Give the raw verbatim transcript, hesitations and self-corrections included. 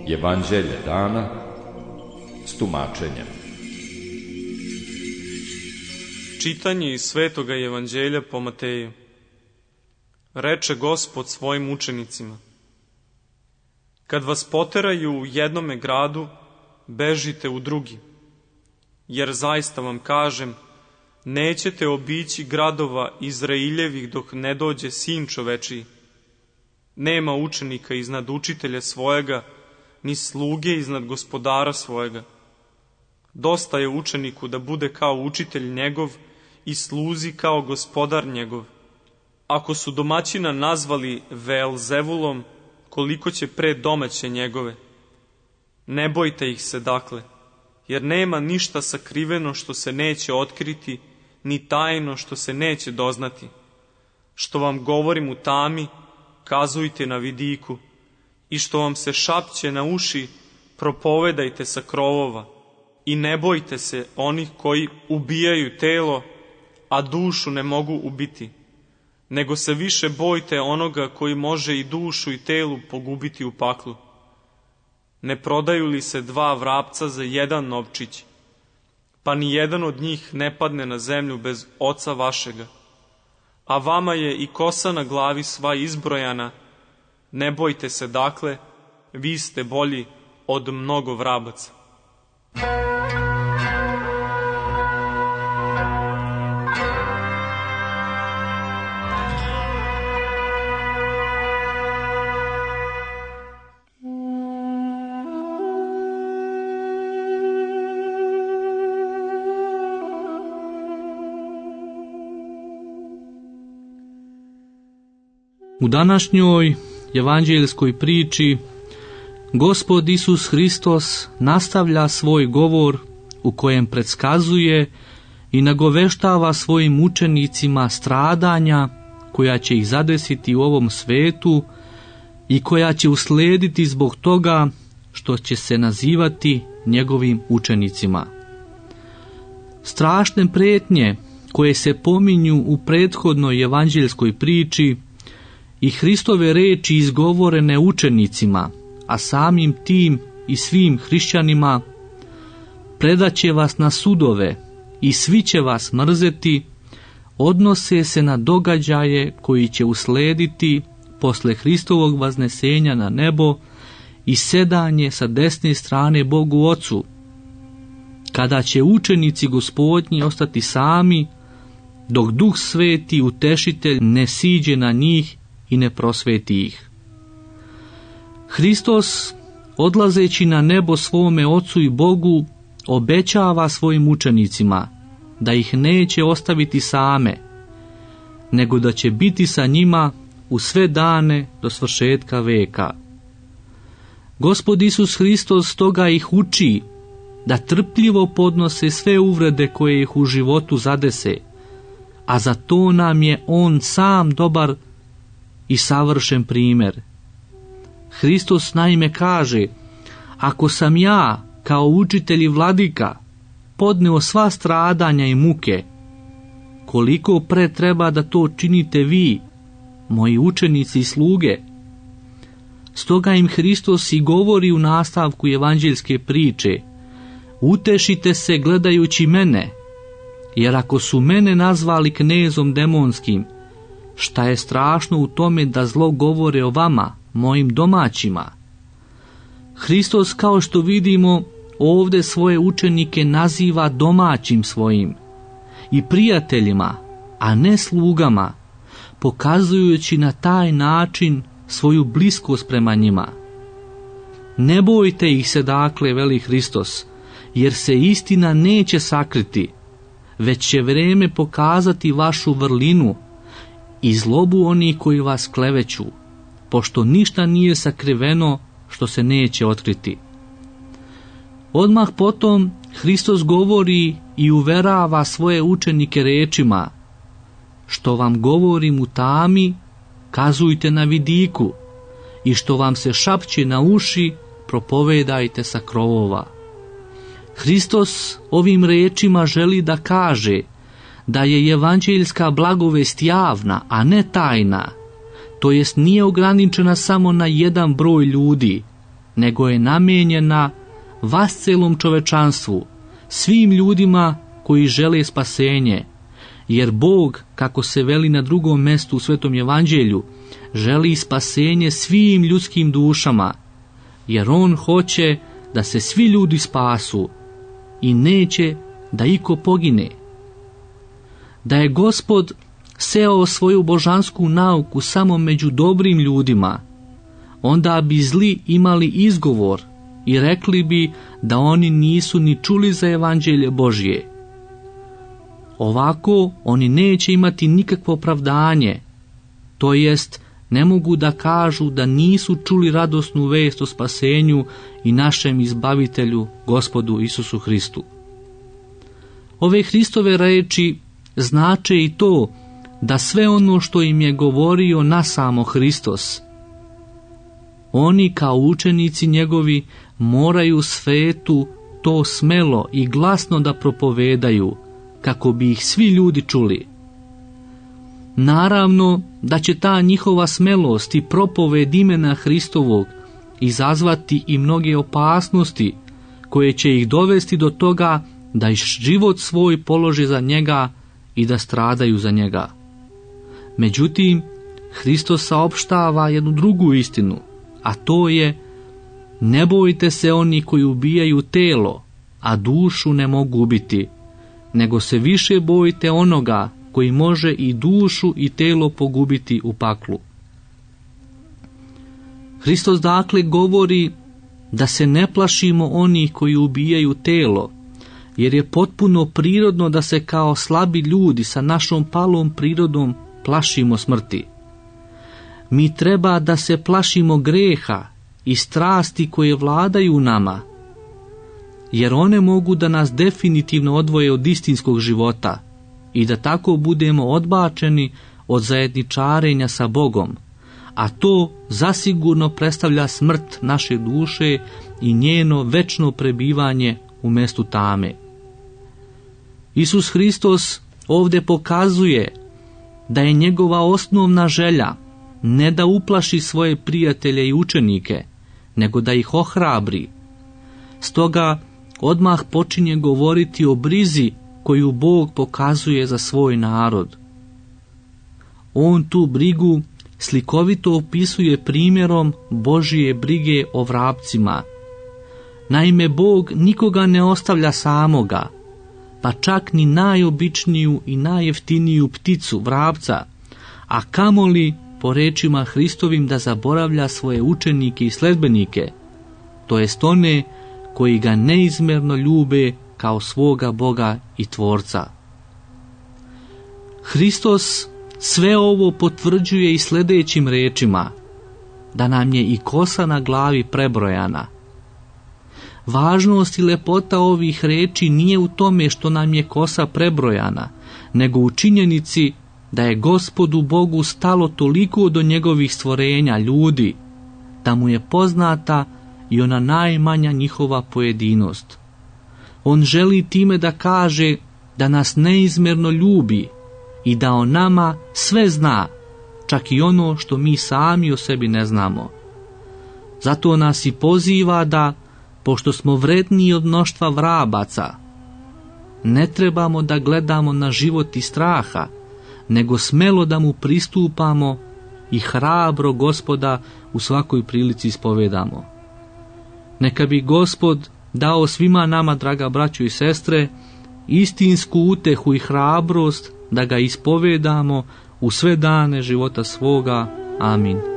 Evanđelje dana s tumačenjem. Čitanje iz Svetoga Evanđelja po Mateju. Reče Gospod svojim učenicima: kad vas poteraju u jednome gradu, bežite u drugi, jer zaista vam kažem, nećete obići gradova Izraeljevih dok ne dođe Sin čovečiji. Nema učenika iznad učitelja svojega, ni sluge iznad gospodara svojega. Dosta je učeniku da bude kao učitelj njegov i sluzi kao gospodar njegov. Ako su domaćina nazvali Veelzevulom, koliko će pre domaće njegove? Ne bojte ih se dakle, jer nema ništa sakriveno što se neće otkriti, ni tajno što se neće doznati. Što vam govorim u tami, kazujte na vidiku, i što vam se šapće na uši, propovedajte sa krovova. I ne bojte se onih koji ubijaju telo, a dušu ne mogu ubiti, nego se više bojte onoga koji može i dušu i telu pogubiti u paklu. Ne prodaju li se dva vrapca za jedan novčić, pa ni jedan od njih ne padne na zemlju bez Oca vašega? A vama je i kosa na glavi sva izbrojana. Ne bojte se dakle, vi ste bolji od mnogo vrabaca. U današnjoj evanđeljskoj priči Gospod Isus Hristos nastavlja svoj govor u kojem predskazuje i nagoveštava svojim učenicima stradanja koja će ih zadesiti u ovom svetu i koja će uslediti zbog toga što će se nazivati njegovim učenicima. Strašne prijetnje koje se pominju u prethodnoj evanđeljskoj priči i Hristove reči izgovorene učenicima, a samim tim i svim hrišćanima, predaće vas na sudove i svi će vas mrzeti, odnose se na događaje koji će uslediti posle Hristovog vaznesenja na nebo i sedanje sa desne strane Bogu Ocu, kada će učenici Gospodnji ostati sami, dok Duh Sveti Utešitelj ne siđe na njih i ne prosveti ih. Hristos, odlazeći na nebo svome Ocu i Bogu, obećava svojim učenicima da ih neće ostaviti same, nego da će biti sa njima u sve dane do svršetka veka. Gospod Isus Hristos stoga ih uči da trpljivo podnose sve uvrede koje ih u životu zadese, a za to nam je On sam dobar i savršen primjer. Hristos naime kaže: ako sam ja, kao učitelj i vladika, podneo sva stradanja i muke, koliko pre treba da to činite vi, moji učenici i sluge? Stoga im Hristos i govori u nastavku evanđeljske priče: utešite se gledajući mene, jer ako su mene nazvali knezom demonskim, šta je strašno u tome da zlo govore o vama, mojim domaćima? Hristos, kao što vidimo, ovdje svoje učenike naziva domaćim svojim i prijateljima, a ne slugama, pokazujući na taj način svoju bliskost prema njima. Ne bojte ih se dakle, veli Hristos, jer se istina neće sakriti, već će vreme pokazati vašu vrlinu i zlobu onih koji vas kleveću, pošto ništa nije sakriveno što se neće otkriti. Odmah potom Hristos govori i uverava svoje učenike rečima: što vam govorim u tami, kazujte na vidiku, i što vam se šapće na uši, propovedajte sa krovova. Hristos ovim rečima želi da kaže da je evanđeljska blagovest javna, a ne tajna, to jest nije ograničena samo na jedan broj ljudi, nego je namijenjena vascelom čovečanstvu, svim ljudima koji žele spasenje, jer Bog, kako se veli na drugom mestu u Svetom evanđelju, želi spasenje svim ljudskim dušama, jer On hoće da se svi ljudi spasu i neće da iko pogine. Da je Gospod seo svoju božansku nauku samo među dobrim ljudima, onda bi zli imali izgovor i rekli bi da oni nisu ni čuli za evanđelje Božje. Ovako oni neće imati nikakvo opravdanje, to jest ne mogu da kažu da nisu čuli radosnu vest o spasenju i našem izbavitelju, Gospodu Isusu Hristu. Ove Hristove reči znače i to da sve ono što im je govorio nasamo Hristos, oni kao učenici njegovi moraju svetu to smelo i glasno da propovedaju, kako bi ih svi ljudi čuli. Naravno da će ta njihova smelost i propoved imena Hristovog izazvati i mnoge opasnosti koje će ih dovesti do toga da i život svoj polože za njega i da stradaju za njega. Međutim, Hristos saopštava jednu drugu istinu, a to je: ne bojte se oni koji ubijaju telo, a dušu ne mogu ubiti, nego se više bojte onoga koji može i dušu i telo pogubiti u paklu. Hristos dakle govori da se ne plašimo onih koji ubijaju telo, jer je potpuno prirodno da se kao slabi ljudi sa našom palom prirodom plašimo smrti. Mi treba da se plašimo greha i strasti koje vladaju nama, jer one mogu da nas definitivno odvoje od istinskog života i da tako budemo odbačeni od zajedničarenja sa Bogom, a to zasigurno predstavlja smrt naše duše i njeno večno prebivanje u mestu tame. Isus Hristos ovdje pokazuje da je njegova osnovna želja ne da uplaši svoje prijatelje i učenike, nego da ih ohrabri. Stoga odmah počinje govoriti o brizi koju Bog pokazuje za svoj narod. On tu brigu slikovito opisuje primjerom Božje brige o vrapcima. Naime, Bog nikoga ne ostavlja samoga, pa čak ni najobičniju i najjeftiniju pticu, vrapca, a kamoli, po rečima Hristovim, da zaboravlja svoje učenike i sledbenike, to jest one koji ga neizmjerno ljube kao svoga Boga i Tvorca. Hristos sve ovo potvrđuje i sljedećim rečima: da nam je i kosa na glavi prebrojana. Važnost i lepota ovih reči nije u tome što nam je kosa prebrojana, nego u činjenici da je Gospodu Bogu stalo toliko do njegovih stvorenja, ljudi, da mu je poznata i ona najmanja njihova pojedinost. On želi time da kaže da nas neizmjerno ljubi i da o nama sve zna, čak i ono što mi sami o sebi ne znamo. Zato nas i poziva da, pošto smo vredniji od mnoštva vrabaca, ne trebamo da gledamo na život iz straha, nego smelo da mu pristupamo i hrabro Gospoda u svakoj prilici ispovedamo. Neka bi Gospod dao svima nama, draga braćo i sestre, istinsku utehu i hrabrost da ga ispovedamo u sve dane života svoga. Amin.